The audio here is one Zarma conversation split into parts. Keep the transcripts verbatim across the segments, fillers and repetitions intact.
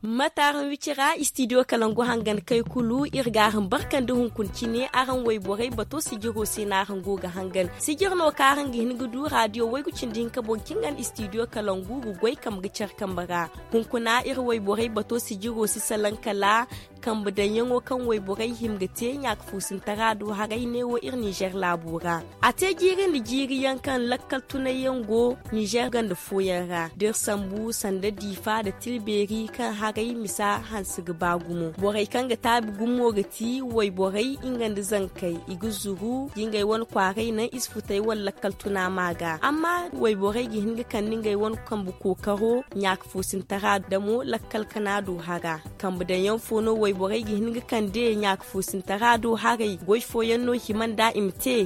Mate araŋ wicira istidiyo kalangu hangan kay kulu iri ga araŋ barkandi hunkuna cine araŋ wayborey bato sijiro se no araŋ go ga hangan. Sijir no kaŋ araŋ ga hin ga du radiyo waygu cindi hinka boŋ kaŋ ga no istidiyo kalangu ga goy kambe ga care kambe ra. Hunkuna iri wayborey bato sijiro si salaŋ kala kambe daŋyaŋo kaŋ wayborey hima ga te ɲaaka fuusintara do haray neewo iri ninzeer laabo ra. A te jiiri nda jiiri yaŋ kaŋ lakkal tunay yaŋ go ninzeer ganda fooyaŋ ra da iri sambu sanda diifa nda tilbeeri kaŋ haray misa hanse ga ba gumo borey kaŋ ga taabi gumo ga ti wayborey nga nda zankey i ga zuru ga ngey wane kwaaray naŋ i si futay wala lakkal tuna ma ga amma wayborey ga hin ga kande ngey wane kambe kookaro ɲaaka fuusintara da mo lakkal kana do hara. Kambe daŋ yaŋ fo no wayborey ga hin ga kande ɲaaka fuusintara do haray goy fooyaŋ no hima nda i ma te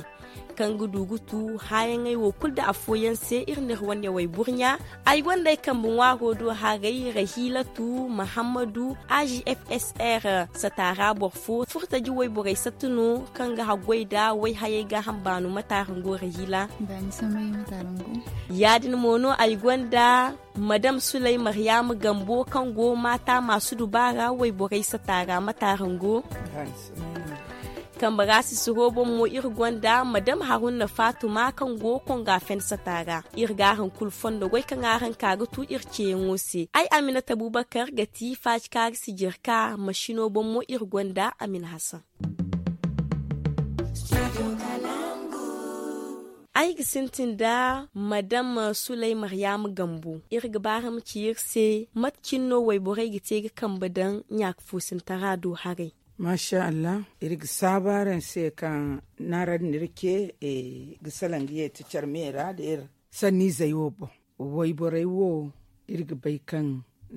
kaŋ ga du ga tu haayaŋey wo kulu nda afooyaŋ se iri n'iri wane wayburɲa. Ay gonda ay kambe ŋwaaro do haray rahilatu mahammadu a g f s r sataara boro fo furtaji wayborey satta no kaŋ ga haggoy nda wayhayey gaaham baano mate araŋ go rahila? Ya- din mo no ay gonda madam suley maryaama gambo kaŋ go maata maasu dubaara wayborey sata ra mate araŋ go? Kambe ra sisiro boŋ mo iri gonda madam haruna faatuma kaŋ go konga fen sata ra. Iri ga araŋ kulu fondo goy kaŋ araŋ ka ga tu iri ceeyaŋo se ay aminata bubakar ga ti faacikaari sijirka masino boŋ mo iri gonda amina hasan. Ay ga sintin nda madam suley maryaama gambo iri ga ba araŋ ma ci iri se mate cine no wayborey ga te ga kambe daŋ ɲaaka fuusintara do haray? Maasa allah iri ga saabu araŋ se kaŋ ni araŋ n'iri ce ga salaŋ ga yeeti care me ra nda iri sanniizey wo boŋ. Wayborey wo iri ga bay kaŋ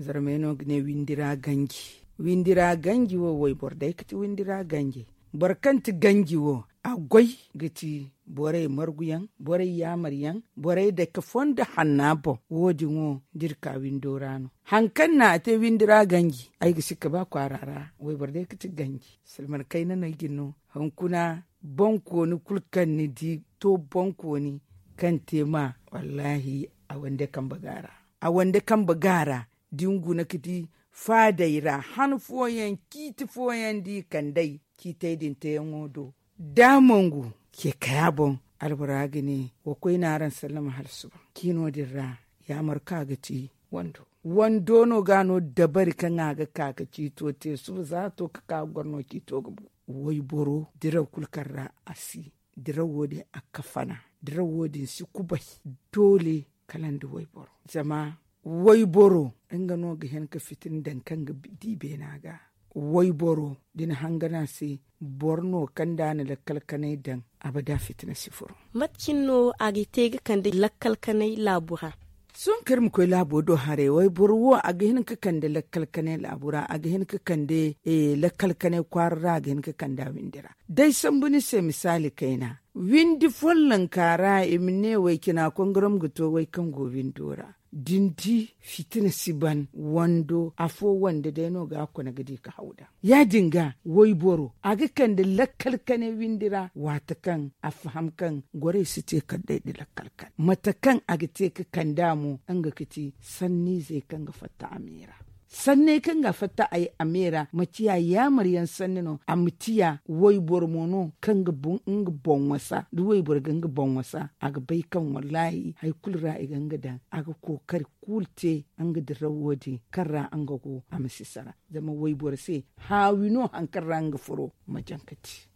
zarmey no ga ne windi ra ganji. Windi ra ganji wo wayboro day ga ti windi ra ganji. Boro kaŋ ti ganji wo a goy ga ti borey marguyaŋ, borey yaamaryaŋ, borey dake fondo hanna boŋ. Wo- din wo da iri ka windo ra no hari kaŋ no a te windi ra ganji ay ga sikka ba kwaara ra wayboro day ga ti ganji. Silman kayna no ay ga ni no hunkuna. Boŋkooni kulu kaŋ ni di to boŋkooni kaŋ te ma wallaahi a wande kambe ga a ra. A wande kambe ga a ra da ni guna ga di faadey ra han fooyaŋ ciiti fooyaŋ da i kand'ey ciitey din teeyaŋo do. Da a mongu ce kaya boŋ albora ga ne wa koy no araŋ sallama hala suba ciino din ra. Yaamar kaŋ a ga ti wando wando no ga no dabari kaŋ a ga ka ga ciito te suba za a to ga ka ga goro no ciito ga bu. Wayboro diraw kulu kaŋ ra a si diraw wo- din a ga kafana. Diraw wo- din si kubay doole kala nda wayboro. Zama wayboro nga no ga hin ga fitina daŋ kaŋ ga di beena ga. Wayboro da ni hangan a se boro no kaŋ da a na lakkal kanay daŋ abada fitina si furo. Mate cine no a ga te ga kande lakkal kanay laabu ra? Sohõ kaŋ iri ma koy laabo do haray wayboro wo a ga hin ga kande lakkal kanay laabu ra a ga hin ga kande lakkal kanay kwaara ra a ga hin ga kande a windi ra. Da ay sambu ni se misaali kayna windi follonka ra i ma ne way cina kongorom ga to way kaŋ go windo ra da ni di fitina si ban wando afo wande day no ga a kone ga di ga haw daŋ. Ya- din ga wayboro a ga kande lakkal kane windi ra waati kaŋ a faham kaŋ gorey si te kala day nda lakkal kane mate kaŋ a ga te ga kande a mo nga ga ti sanniizey kaŋ ga fatta a me ra. Sanney kaŋ ga a fatta a me ra ma ciya yaamar yaŋ sanni no a ma ciya wayboro mo no kaŋ ga nga boŋ wasa da wayboro ga nga boŋ wasa a ga bay kaŋ wallaahi hari kulu ra i ga nga daŋ a ga kookari kulu te nga diraw wo- din kaŋ ra nga go a ma si sara. Zama wayboro se haawi no hari kaŋ ra nga furo ma jaŋ ga te.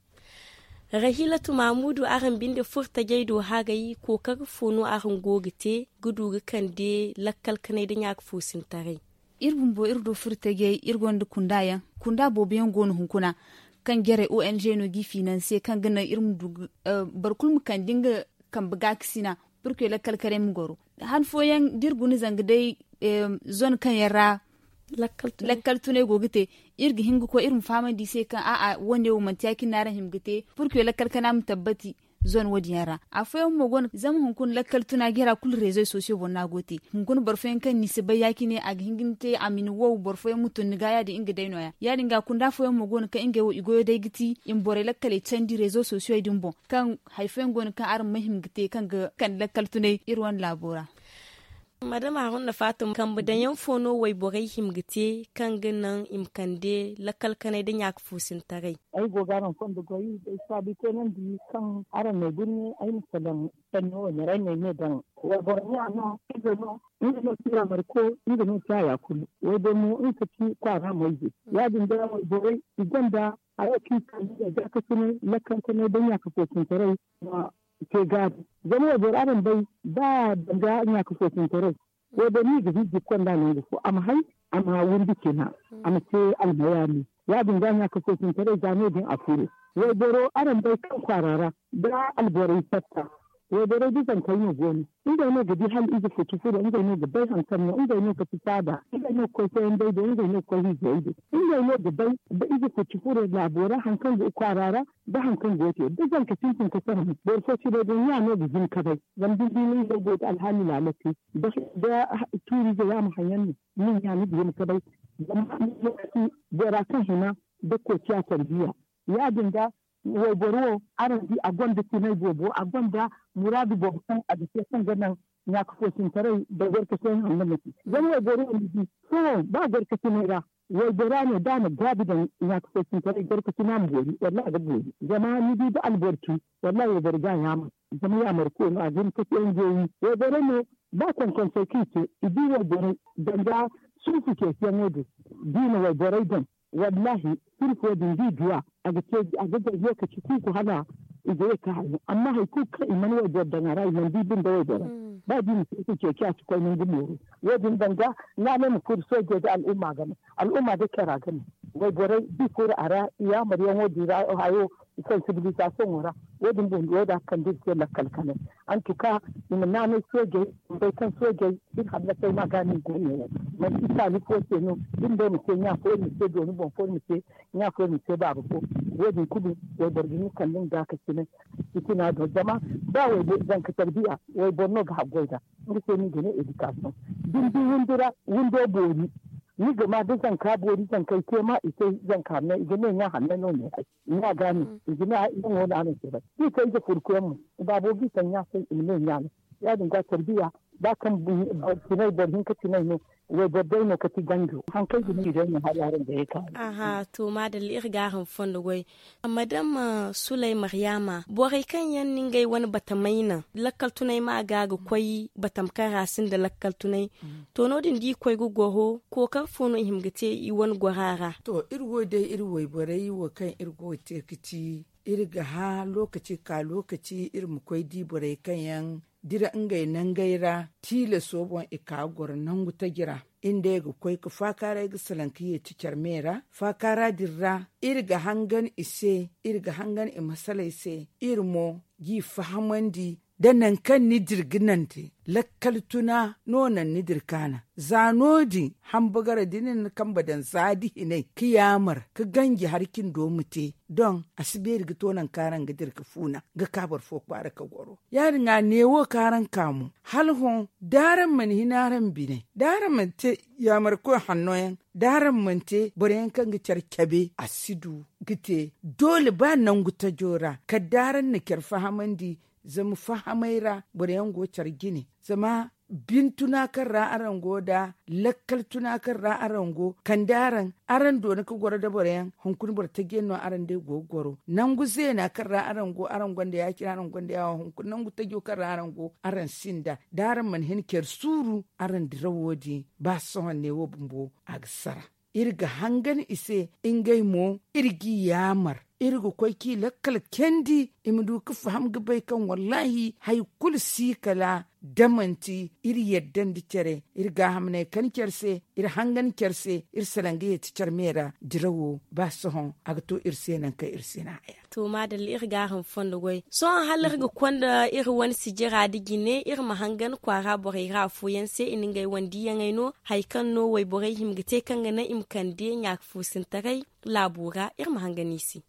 Rahilatu maamudu araŋ binde furtajey do haray kookari fo no araŋ go ga te ga du ga kande lakkal kanay nda ɲaaka foosintaray? Iri bumbo iri do furtajey iri gonda kunda yaŋ. Kunda boobo yaŋ go no hunkuna kaŋ jarey o n g no g'i finanse kaŋ ga naŋ iri ma du boro kulu ma kande nga kambe gaakasina purke lakkal kanay ma goro. Han fooyaŋ da iri guna zanga day zone kaŋ yaŋ ra lakkal tunay go ga te iri ga hin ga koy iri ma fahamandi i se kaŋ a'a wane wo manti ya- cine no araŋ hima ga te purke lakkal kana ma tabbati. zone wo- din yaŋ ra. Afooyaŋ mo go no zama hunkuna lakkal tuna jara kulu reezo sosiyo boŋ no a go ga te. Hunkuna boro fooyaŋ kaŋ ni si bay ya- cine a ga hin ga ni te a ma ni wow boro fooyaŋ ma tun ni ga ya- din nga day no- ya ya- din ga kunda fooyaŋ mo go no kaŋ ngey wo i goyo day ga ti i ma borey lakkaley candi reezo sosiyo din boŋ, kaŋ hari fooyaŋ go no kaŋ araŋ ma hima ga te kaŋ ga kande lakkal tunay iri wane laabo ra. Madama haruna fatima kambe daŋ yaŋ fo no wayborey hima ga te kaŋ ga naŋ i ma kande lakkal kanay nda ɲaaka foosintaray? Ay go ga araŋ fondo goy day saabi teenandi kaŋ araŋ n'ay birni ay ma salaŋ sanni wo ɲaray no ay ne daŋ. Wayboro ɲa no ize no nga no si yaamari ko nga no si haya kulu. Wayboro mo nga ka ci kwaara mo ize ya- din day wayborey i gonda haya kaŋ i ka ni ga gaakasinay lakkankanay nda ɲaaka foosintaray ma te gaabi. Zama wayboro araŋ bay ba danga ɲaaka foosintaray wayboro no i ga hijji konda nangu fo a ma hay a ma windi cina a ma te almayaali. Ya- din ga ɲaaka foosintaray za no- din a furo. Wayboro araŋ bay kaŋ kwaara ra da alborey fatta wayborey da zankey no go no. Ngey no ga di hala ize futu furo ngey no ga bay hari kaŋ no ngey no ga fita nd'a ngey no ga koy koyandey do ngey no ga koy hijjey do. Ngey no ga bay da ize futu furo laabo ra hari kaŋ go kwaara ra da hari kaŋ go ga te da zanka sintin ka sara mo boro fo si bay day ɲa no ga hin ka bay. Zama da ni di no ngey go ga alhaali laala te da tuuriize ya ma haŋ yaŋ no ni ɲa ni ga hin ka bay. Zama ni ga ti bora kaŋ hina da koociya tarbiya. Ya- din ga wayboro wo araŋ di a gonda tinay boobo a gonda muraadu boobo kaŋ a ga te kaŋ ga naŋ ɲaaka foosintaray nda gorkasinay hanno ma te. Zama wayboro wo ni di sohõ ba gorkasinay ra waybora no da a na gaabi daŋ ɲaaka foosintaray gorkasina ma boori wallaahi a ga boori. Zama ni di da alboro tu wallaahi wayboro ga a yaamar. Zama yaamar koy no a ga hin ka te nga wi wayboro no ba konkonso kaŋ i te i di wayborey danga suufu ceeciyaŋo din da i na wayborey daŋ. Wallaahi sirfo din da i duw'a a ga te a ga gay lokaci kuuku hala i ga ye ka hayo amma hari kulu kaŋ i mana wayboro daŋ a ra i mana di binde wayborey. Ba da i na suufu ceeci a si koy nangu mooru. Wo- din danga naanay ma furo soojey da al'umma game al'umma da care a game. Wayborey da i furo a ra i yaamaryaŋo din ra hayo sansibilizasoŋo ra. Wo- din bumbo wo- din a ga kande iri se lakkal kanay. Antuka i ma naanay soojey i ma bay kaŋ soojey iri hallasay no a ga no i go neewo. Manti taali fo se no iri nda iri ma te ɲa fo iri ma te dooni boŋ fo iri ma te ɲa fo iri ma te baaba fo. Wo- din kulu wayboro ga hin ga kande nga gaakasinay fitina do zama ba wayboro zanka tarbiya wayboro no ga haggoy nd'a. Nga se no i ga ne edikasiyoŋ da ni di windo boori ni ga ma da zanka boori zankey te ma i te zanka hanney i ga ne ɲa hanney no ne ay. Ɲa ga no i ga ne ay iri mo no araŋ si bay da i te ize furkuyaŋ mo i baabo ga i taŋ ɲa se i ma ne ɲa no. Ya- din ga tarbiya ba kaŋ tinay boro hinka tinay no wayboro day no kati ganjo hari kaŋ ay ga ne i day no hari araŋ ga ye ka. Aha to maadalla iri ga araŋ fondo goy. Madama sulay maryaama borey kaŋ yaŋ no ngey wane batamey naŋ lakkal tunay ma ga ga koy batam kaŋ ra sinda lakkal tunay. To no- din da i koy ga goro kookari fo no i hima ga te i wane gora ra? To iri wo day iri wayborey wo kaŋ iri go ga te ga ci iri ga hã lokaci ga ka lokaci iri ma koy di borey kaŋ yaŋ dira ngey nangey ra tiilaso boŋ i ka ga goro nangu taji ra. Iri nd'ey ga koy ga faakaaray ga salaŋ ga yeeti care me ra faakaara din ra. Iri ga hangan i se iri ga hangan i masaley se iri mo g'i fahamandi da nangu kaŋ ni dira ga nante lakkal tuna no naŋ ni dira kaana. Za no- din hambagara da ni na ni kambe daŋ za da hinay ga yaamar ga ganji hari cindo ma te doŋ a si beeri ga to nangu kaŋ araŋ ga dira ga fuuna ga ka boro fo kwaara ga goro. Ya- din a neewo kaŋ araŋ ka mo hala hõ da araŋ mana hin araŋ biney da araŋ mana te yaamarkoy hanno yaŋ da araŋ mana te boro yaŋ kaŋ ga care cabe a si du ga te. Doole ba nangu tajo ra kala da araŋ na care fahamandi zama fahamay ra boro yaŋ go care jine zama bintuna kaŋ ra araŋ go nd'a lakkal tuna kaŋ ra araŋ go kande araŋ araŋ doona ga goro nda boro yaŋ hunkuna boro taji yaŋ no araŋ day go ga goro nangu zeena kaŋ ra araŋ go araŋ gonda ya- cine araŋ gonda yaawo hunkuna nangu tajo kaŋ ra araŋ go araŋ sinda da araŋ mana hin care suuru araŋ dirawo din ba sohõ neewo bumbo a ga sara. Iri ga hangan i se ngey mo iri g'i yaamar iri ga koy k'i lakkal candi i ma du ga faham ga bay kaŋ wallaahi hari kulu si kala da manti iri yadda nda care iri gaahamney kan care se iri hangan care se iri salaŋ ga yeeti care me ra dirawo ba sohõ a ga to iri se nangu kaŋ iri si na haya. To maadalla iri gaaram fondo goy sohõ hala iri ga konda iri wane sijira nda jine iri ma hangan kwaara borey ra afooyaŋ se i na ngey wane diiyaŋey no hari kaŋ no wayborey hima ga te kaŋ ga naŋ i ma kande ɲaaka foosintaray laabo ra iri ma hangan i se.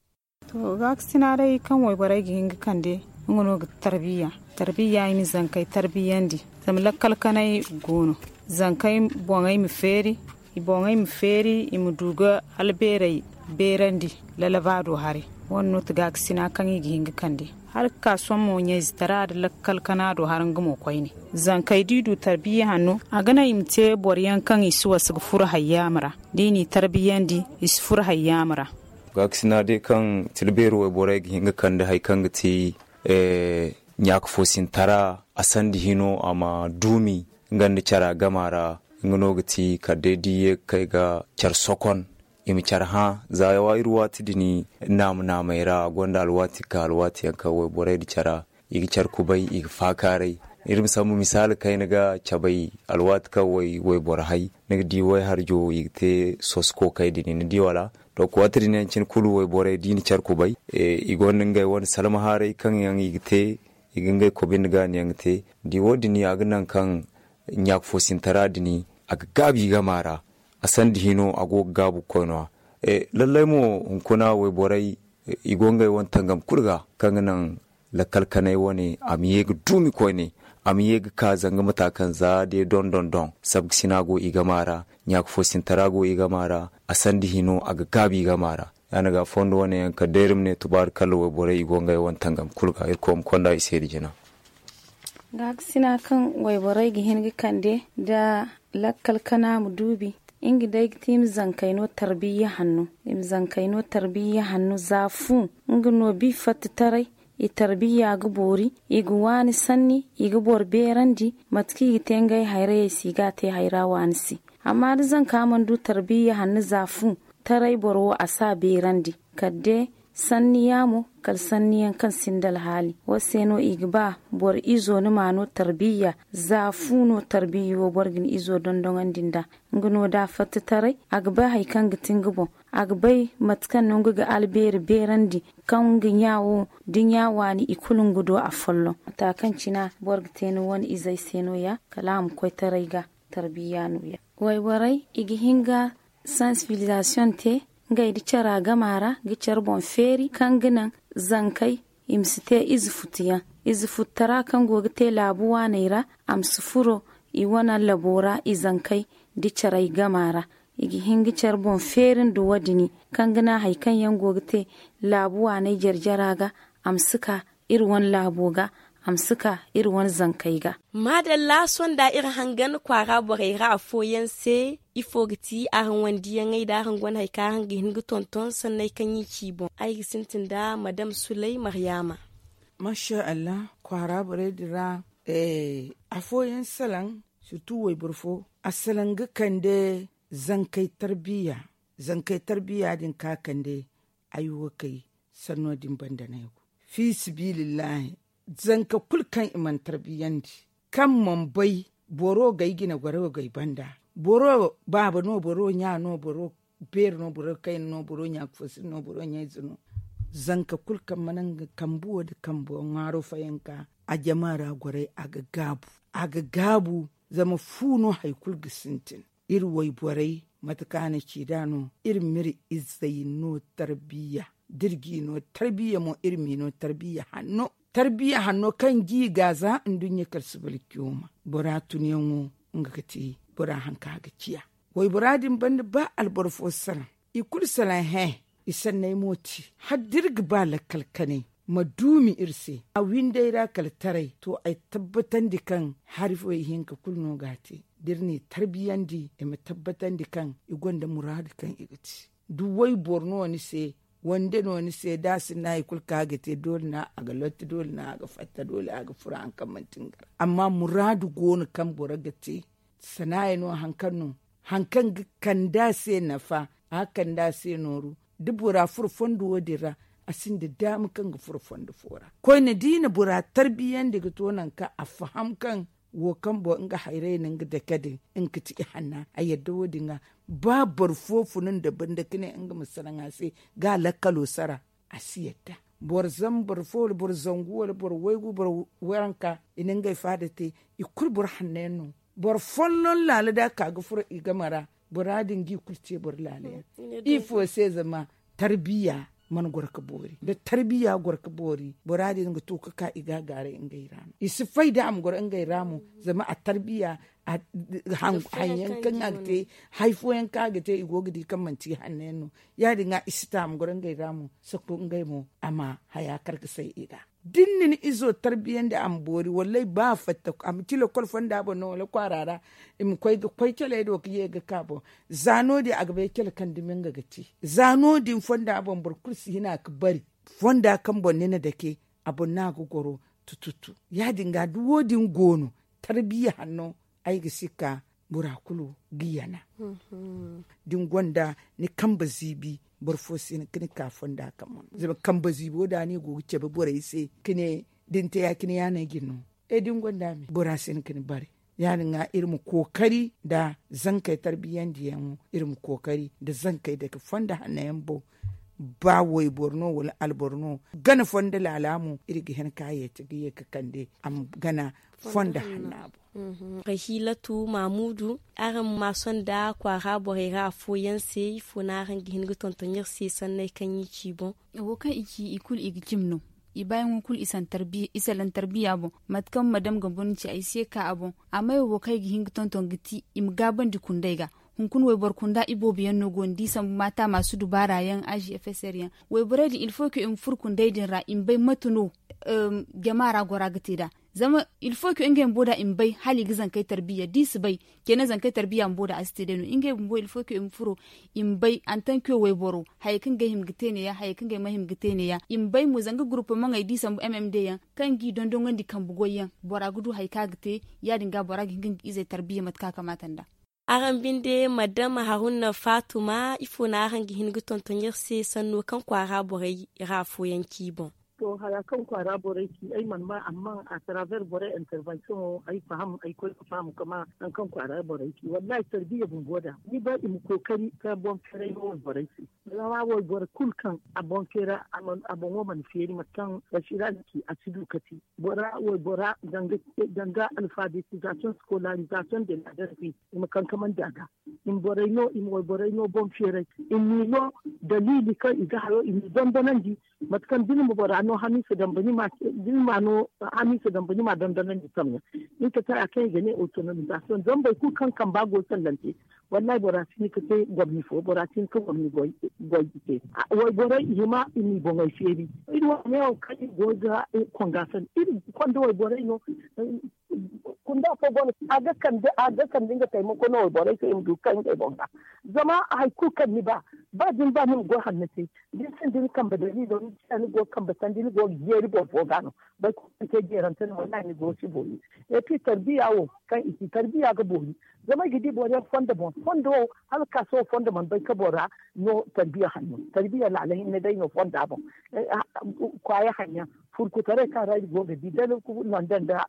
To gaakasina day kaŋ wayborey ga hin ga kande Nga no ga tarbiya tarbiya i ma zankey tarbiyandi. Zama lakkal kanay go no zankey boŋey ma feeri i boŋey ma feeri i ma du ga albeerey beerandi. Lalabaado haray wane no ti gaakasina kaŋ i ga hin ga kande hala ga ka sohõ mo ɲayze tara nda lakkal kana do har nga mo koyne. Zankey da i du tarbiya hanno a ga naŋ i ma te boro yaŋ kaŋ i si wasa ga furo hayyaama ra da i n'i tarbiyandi i si furo hayyaama ra. Gaakasina day kaŋ tilbeeri wayborey ga hin ga kande hari kaŋ ga ti ɲaaka foosintara a sanda hino a ma duumi nga nda cara gama ra. Nga no ga ti kala day da i ye ga kay ga care sokon i ma care hã. Za iri waati din naama naamey ra a gonda alwaati ga ka alwaati yaŋ kaŋ wayborey nda cara i ga care kubay i ga faakaaray. Iri ma sambu misaali kayna ga cabay alwaati kaŋ wayboro hay ni ga di wayharjo i ga te soso kookay din ni di wala? To waati din yaŋ cine kulu wayborey da i na care kubay i gonda ngey wane salmahaaray kaŋ yaŋ i ga te i ga ngey kobi nda gaani yaŋ ga te. Da i wo- din a ga naŋ kaŋ ɲaaka foosintara din a ga gaabu i gama ra. A sanda hino a go ga gaabu ga koy no- ya lallay mo hunkuna wayborey i go ngey wane tangam kulu ga kaŋ ga naŋ lakkal kanay wane a ma ye ga duumi koyne a ma ye ga ka zanga mata kaŋ za day dondon doŋ sabgasina go i gama ra. Ɲaaka foosintara go i gama ra a sanda hino a ga gaabu i gama ra. Ya- din ga fondo wane yaŋ kala day iri ma ne tubaari kalla wayborey i go ngey wane tangam kulu ga irkoy ma konda i se da jina. Gaakasina kaŋ wayborey ga hin ga kande nda lakkal kana ma duubi nga day ga ti i ma zankey no tarbiya hanno. I ma zankey no tarbiya hanno za fu nga no bi fattitaray i tarbiya ga boori i ga waani sanni i ga boro beerandi mate kaŋ i ga te ngey hayrayey se i ga a te hayra waani se. Amma da zanka mana du tarbiya hanno za fu taray boro wo a si a beerandi kala day sanni yaamo kala sanni yaŋ kaŋ sinda alhaali wo se no i ga ba boro izo ni ma no tarbiya za fu no tarbiya wo boro ga ni izo dondoŋandi nd'a. Nga no da a fatta taray a ga bay hari kaŋ ga ti nga boŋ a ga bay mate kaŋ no nga ga albeeri beerandi kaŋ nga ɲa wo da ɲa waani i kulu nga do afolloŋ mata kaŋ cina boro ga te ni wane izey se no- ya kala a ma koy taray ga tarbiya no- ya. Wayborey i ga hin ga sansibilizasiyoŋ te ngey nda cara gama ra ga care boŋ feeri kaŋ ga naŋ zankey i ma si te ize futu yaŋ ize futtara kaŋ go ga te laabu waaney ra a ma si furo i wane labo ra i zankey nda carey gama ra. I ga hin ga care boŋ feeri nda wo- din kaŋ ga naŋ hari kaŋ yaŋ go ga te laabu waaney jare jara ga a ma si ka iri wane laabo ga a ma si ka iri wane zankey ga. Maadalla sonda iri hangan kwaara borey ra afooyaŋ se ifo ga ti araŋ wandiyaŋey nda araŋ gonda hari kaŋ araŋ ga hin ga tonton sanney kaŋ i ci i boŋ ay ga sintin nda madam sulay maryaama. Masha allah kwaara borey din ra afooyaŋ salaŋ sirtu wayboro fo a salaŋ ga kande zankey tarbiya zankey tarbiya din ka kande ay wo kay sanno din banda no ay go. Fi sabilillahi zanka kulu kaŋ i mana tarbiyandi kaŋ mana bay boro ga ay jine goro ga ay banda boro baaba no boro ɲa no boro beeri no boro kayna no boro ɲa ga fo siri no boro ɲa ize no. Zanka kulu kaŋ mana nga kambe wo nda kambe ŋwaaro fayanka a jama ra goray a ga gaabu a ga gaabu. Zama fu no hari kulu ga sintin iri wayborey mate kaŋ a na ci nd'a no iri m'iri izey no tarbiya da iri g'i no tarbiya mo iri m'i no tarbiya hanno tarbiya hanno kaŋ g'i ga za nduɲɲa kala subalkiyoma bora tunyaŋo nga ga te bora haŋ kaŋ a ga ciya. Waybora din banda ba alboro fo salaŋ i kulu salaŋ hẽ i sanney mo te hala da iri ga ba lakkal kanay ma duumi iri se a windey ra kala taray to ay tabbatandi kaŋ hari fo ihinka kulu no ga a te da iri n'i tarbiyandi i ma tabbatandi kaŋ i gonda muraadu kaŋ i ga te da wayboro no ni se wande no ni se da a sinda hari kulu kaŋ a ga te doole no a ga lotti doole no a ga fatta doole a ga furo hari kaŋ manti nga ra amma muraadu go no kaŋ boro ga te sanaayi no hari kaŋ no hari kaŋ ga kande a se nafa a ga kande a se nooru da bora furo fondo wo- din ra a sinda daama kaŋ ga furo fondo fo ra koyne da i na bora tarbiyandi ga to nangu kaŋ a faham kaŋ wo kaŋ boŋ nga hayray no nga dake din nga ga ti ihanna a yadda wo- din ga ba boro fo fun nda banda ga ne nga ma salaŋ a se ga lakkalo sara a si yadda boro zambar fo wala boro zangu wala boro waygu boro waranka i na ngey faada te i kulu boro hanno yaŋ no boro folloŋ laala da a ka ga furo i game ra bora din ga i kulu te boro laala yaŋ ifo se zama tarbiya mana goro ga boori da tarbiya goro ga boori bora din ga to ga ka i ga a gaaray ngey ra no i si fay da a ma goro ngey ra mo. Zama a tarbiya hanyaŋ kaŋ a ga te hari fooyaŋ kaŋ a ga te i go ga di kaŋ manti hanno yaŋ no. Ya- din ga i si ta a ma goro ngey ra mo sako ngey mo a ma haya kar ga say i ga da ni na ni izo tarbiyandi a ma boori wallay ba a fatta a ma ti lokol fonda boŋ no wala kwaara ra i ma koy ga koy caley do ga ye ga ka boŋ. Za no- din a ga bay cale kaŋ dumi nga ga te za no- din fonda boŋ boro kulu si hina ga bari fonda kaŋ boŋ ni na dake a boŋ no a ga goro. Tututu ya- din ga da wo- din go no tarbiya hanno ay ga si ka bora kulu ga yana. Da ni gonda ni kambe ziibi boro fo si hin ga ni ka fonda kaŋ boŋ zama kambe ziibo da no i go ga cabe borey se ga ne da ni te ya- cine ya- no ay ga ni no. E da ni gonda me bora si hin ga ni bare. Ya- din ga iri ma kookari nda zankey tarbiyandiyaŋo iri ma kookari nda zankey dake fonda hanno yaŋ boŋ. Ba wayboro no wala alboro no gana fondo laala mo iri ga hin ka yeeti ga ye ga kande a ma gana fondo hanna boŋ. Rahilatu mamudu araŋ ma sonda kwaara borey ra afooyaŋ se ifo no araŋ ga hin ga tonton iri se sanney kaŋ i ci boŋ? Wo kaŋ i ci i kulu i ga cim no. I baayaŋo kulu i salaŋ tarbiya boŋ. Mate kaŋ madam ga boro ni ci ay si ye ka a boŋ. Amma wo kaŋ ay ga hin ga tonton ga ti i ma gaabandi kundey ga. Hunkuna wayboro kunda iboobo yaŋ no go ni di sambu maata maasu dubaara yaŋ a g f s r yaŋ. Wayborey din ilfo ke i ma furo kundey din ra i ma bay mate no jama ra gora ga te nd'a. Zama ilfo ke ngey bumbo da i ma bay hala i ga zankey tarbiya da i si bay. Keena zankey tarbiya bumbo da a si te day no ngey bumbo ilfo ke i ma furo i ma bay antanke wayboro hayey kaŋ ngey hima ga te neeya hayey kaŋ ngey ma hima ga te neeya i ma bay mo zanga gurupu maŋey da i sambu m m d yaŋ kaŋ ga i dondonandi kambe goy yaŋ bora ga du hari kaŋ a ga te. Ya- din ga bora ga hin ga nga izey tarbiya mate kaŋ a kamaata nd'a. Araŋ binde madama haruna faatuma ifo no araŋ ga hin ga tonton iri se sanno kaŋ kwaara borey ra afooyaŋ ci boŋ? To haya kaŋ kwaara borey ci ay mana ma amma a taraver borey intervention wo ay faham ay koy ga faham kama nangu kaŋ kwaara borey ci wallahi tarbiya bumbo da ni ba i ma kookari ka boŋ feeray no wayborey se. Zama wayboro kulu kaŋ a boŋ feera a boŋo mana feeri mate kaŋ basira ga ci a si du ka te bora waybora danga alfabetization scolarization de la derbi i ma kankamandi a ga. I ma borey no i ma wayborey no boŋ feeray i ma i no daliili kaŋ i ga hayo i ma i dondonandi. Mate kaŋ da ni ma bora no hamiisa damba ni ma dondonandi samyaŋ. Ni ka tara kaŋ i ga ne autonomisation zama boro kulu kaŋ kamba go sallante. Wallahi bora si hin ga te gomni fo bora si hin ga gomni goy ga te. Wayborey i hima i ma i boŋey feeri. Iri wo neewo kaŋ iri go ga konga sanda iri konda wayborey no. Kunda fo go no a ga kande a ga kande nga taimako no wayborey se i ma du ga kay ngey boŋ ga. Zama hari kulu kaŋ ni ba ba da ni ba ni ma goy hanno te da ni sinda ni kambe daliilo ni ciya ni go ga kambe sanda ni go ga jeeri boro fo ga no. Boro kulu kaŋ te jeerante no wallahi ni go ga si boori. Et puis tarbiya wo kaŋ i ci tarbiya ga boori. Zama ay ga di boro yaŋ fondo boŋ fondo wo hala ga ka sohõ fondo mana bay ka bora no tarbiya hanno tarbiya laala hinne day no fonda boŋ. Kwaaya haŋyaŋ furkutaray kaŋ ra iri go ga di dala nonda nda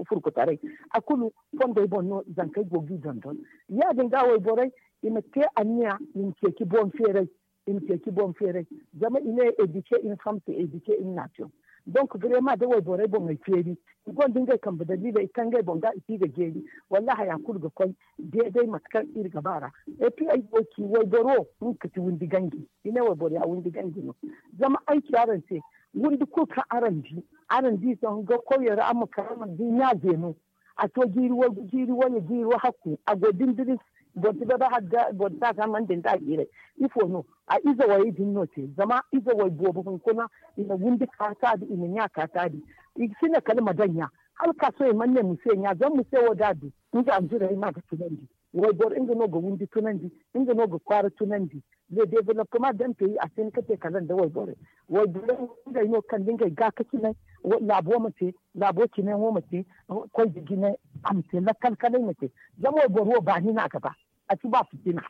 furkutaray a kulu fondey boŋ no zankey go ga i dondon. Ya- din ga wayborey i ma te anniya i ma ceeci boŋ feeray. I ma ceeci boŋ feeray zama i ne edike in fam se edike in nation. Donc birema da wayborey boŋey feeri i gonda ngey kambe daliiley i kaŋ ngey boŋ ga i si ga jeeri. Wallahi haya kulu ga koy deeday mate kaŋ iri ga ba ra. Et puis ay go ga ci wayboro nga ga ti windi ganji i ne wayboro ya windi ganji no. Zama ay ci araŋ se windi kulu kaŋ araŋ di araŋ di sohõ ga koyey ra araŋ ma kar araŋ ma di ɲa zeeno. A to jiiri way jiiri way jiiri way hakku a go dindiri. Boro si bay bay hala ga boro si a samandi nda a jiiray. Ifo no a ize wayey din no te zama ize way boobo hunkuna i na windi ka taadi i na ɲa ka taadi. I ga si ne kala ma daŋ ɲa hala ka sohõ i mana ne muse ɲa zama muse wo da a du nga a jirey ma ga tunandi. Wayboro nga no ga windi tunandi nga no ga kwaara tunandi. Le developpement daŋ peyi a si hin ga te kala nda wayborey. Wayborey ngey no kala nda ngey gaakasinay laabo ma te laabo cine wo ma te koy ga jine a ma te lakkal kalay ma te. Zama wayboro wo baani no a ga ba a si ba fitina.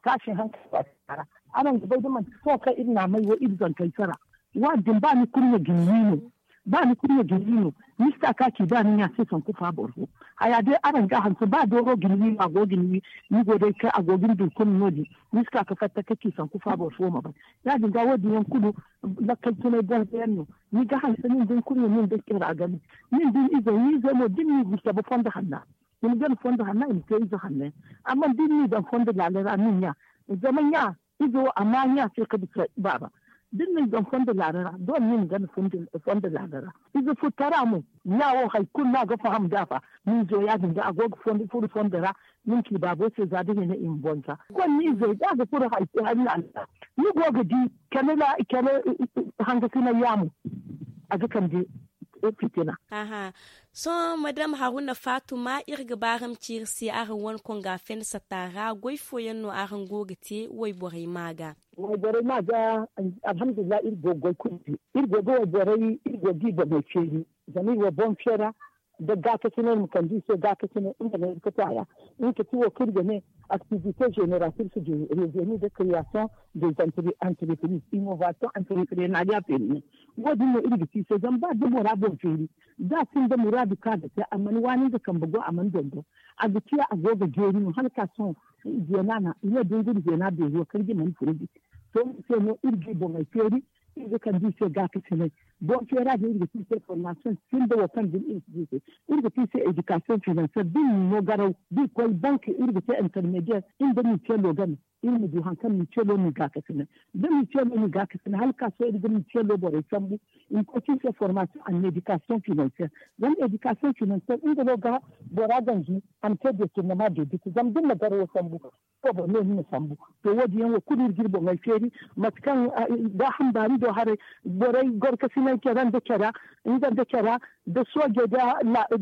Taasi hankali ba si kara araŋ ga bay da manti sohõ kaŋ iri na a may wo iri zankey sara. Waadin ba ni kurɲe ga ni wi no ba ni kurɲe ga ni wi no. Ni si ta ka ci ba ni ɲa se sanku fa boro fo. Haya day araŋ ga a hanse ba dooro ga ni wi no a go ga ni wi ni go day kaŋ a go ga ni dulkuna no- din. Ni si ka ga fatta ka ci sanku fa boro fo ma bay. Ya- din ga wo- din yaŋ kulu lakkal tunay boŋ ga yaŋ no. Ni ga hanse nin da ni kurɲe nin da care a game nin da ni izey ni izey mo da ni n'i ga cabe fondo hanna. I ma gana fondo hanna i ma te ize hanna yaŋ. Amma da ni n'i daŋ fondo laala ra nin ɲa zama ɲa ize wo a ma ɲa se ga bisa baaba. Da ni na ni daŋ fondo laala ra doole ni ma gana fondo laala ra. Ize furtara mo, nya wo hari kulu no a ga faham da a fa. Ni zo ya- din ga a go ga furu fondo ra. Ni ma ci baabo se za da hina i ma bonza. Konne izey da a ga furu hari laala ra, ni go ga di kala hangasinay yaamo. A ga kande fitina. Sohõ madam haruna faatuma iri ga ba araŋ ma ci iri se araŋ wane konga fensa taara goy fooyaŋ no araŋ go ga te wayborey ma ga? Wayborey ma ga, alhamdulillahi iri go ga goy kulu te. Iri go ga wayborey iri go ga i boŋey feeri. Zama iri wo boŋ feera nda gaakasinay ma kande i se gaakasinay nga no iri ga te a ra. Nga ga ti wo kaŋ iri ga ne, activité génératrice de revenus de création des entreprises innovation entreprenariat féminin. Wo- din no iri ga te i se zama ba da bora boŋ feeri, da a sinda muraadu kaŋ a ga te a mana waani nga kambe go a mana dondon. A ga ciya a go ga jeeri no hala ka sohõ. Zeena no i ne da nguri zeena beeri wo karji mana furu di. To nga se no iri ga i boŋey feeri. Iri ga kande i se gaakasinay. Boŋ feera din iri ga te i se formation sinda wo kaŋ din iri ga te i se. Iri ga te i se éducation financière da i na no garaw da i koy bank iri ga te intermédiaire iri nda mutuel wo game. Iri ma du hari kaŋ mutuel wo n'i gaakasinay. Da mutuel wo n'i gaakasinay hala ka sohõ iri ga mutuel wo borey sambu. I ma koy te i se formation en éducation financière. Zama éducation financière nga no ga bora ganji a ma te détournement de dette zama da ni na garawo sambu. Boro no ni na sambu. To wo- din yaŋ wo kulu iri ga iri boŋey feeri. Mate kaŋ gaaham baani do haray, borey gorkasinay care nda care, nga nda care, nda soojey